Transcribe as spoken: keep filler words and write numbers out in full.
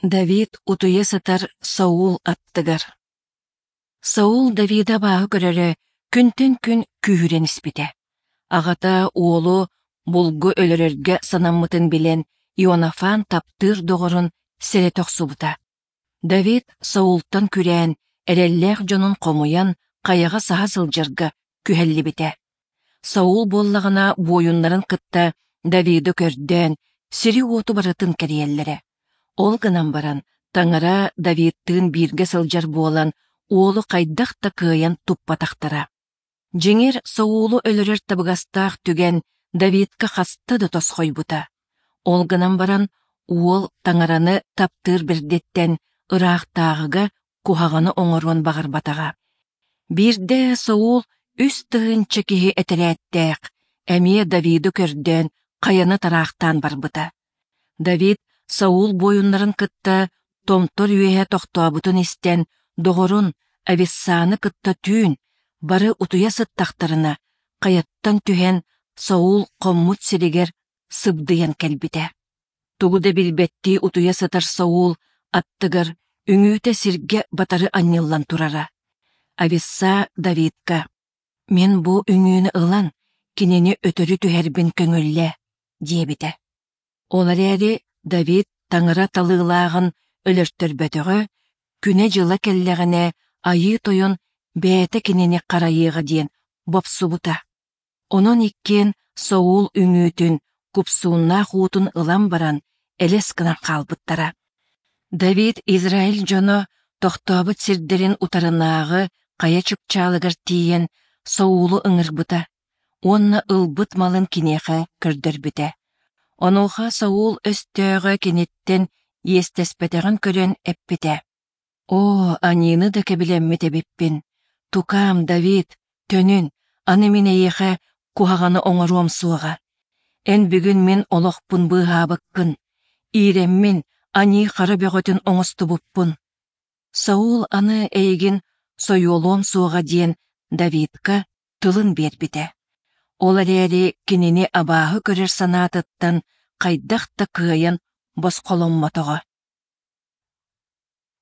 Давид утуйа сытар Саул аттыгар. Саул Давиды абааһы көрөрө күнтэн күн күүһүрэн испитэ. Аҕата уолу булгу өлөрөргө санаммытын билэн, Ионафан таптыыр доҕорун сэрэтэ охсубута. Давид Саултан күрээн, эрэллээх дьонун хомуйан хайаҕа саһа сылдьарга күһэллибитэ. Саул буоллаҕына буойуннарын кытта Давиды көрдөөн, сири-уоту барытын кэрийэллэрэ. Ол гынан баран, Таҥара Давидтыын бииргэ сылдьар буолан, уолу хайдах да кыайан туппатахтара. Дьиҥэр, Саулу өлөрөр табыгастаах түгэн Давидка хаста да тосхойбута. Ол гынан баран, уол Таҥараны таптыыр бэрдиттэн ыраахтааҕыга куһаҕаны оҥоруон баҕарбатаҕа. Биирдэ Саул үс тыһыынча киһи этэрээттээх, эмиэ Давиды көрдөөн хайаны тараахтаан барбыта. Давид Саул буойуннарын кытта томтор үөһэ тохтообутун истэн, доҕорун Ависсаны кытта түүн, бары утуйа сыттахтарына, хайаттан түһэн Саул хоммут сиригэр сыбдыйан кэлбитэ. Тугу да билбэттии утуйа сытар Саул аттыгар үҥүүтэ сиргэ батары анньыллан турара. Ависса Давидка «Мин бу үҥүүнү ылан, кинини өтөрү түһэрбин көҥүллээ» диэбитэ. Ол эрээри Давид таҥара талыылааҕын өлөртөрбөтөҕө, күнэ-дьыла кэллэҕинэ Айыы Тойон бэйэтэ кинини харайыаҕа диэн бопсубута. Онон иккиэн Саул үҥүүтүн, купсууннаах уутун ылан баран элэс гынан хаалбыттара. Давид Израиль дьоно тохтообут сирдэрин утарынааҕы хайа чыпчаалыгар тиийэн Саулу ыҥырбыта уонна ылбыт малын киниэхэ көрдөрбүтэ. Онуоха Саул өстөөҕө киниттэн иэстэспэтэҕин көрөн эппитэ: «Оо, аньыыны да кэбилэммит эбиппин! Тукаам, Давид, төнүн, аны мин эйиэхэ куһаҕаны оҥоруом суоҕа. Эн бүгүн мин олохпун быыһаабыккын, иирэммин аньыы хара бөҕөтүн оҥостубуппун. Саул аны эйигин сойуолуом суоҕа диэн Давидка тылын биэрбитэ. Ол эрээри кинини абааһы көрөр санаатыттан хайдах да кыайан босхоломмотоҕо.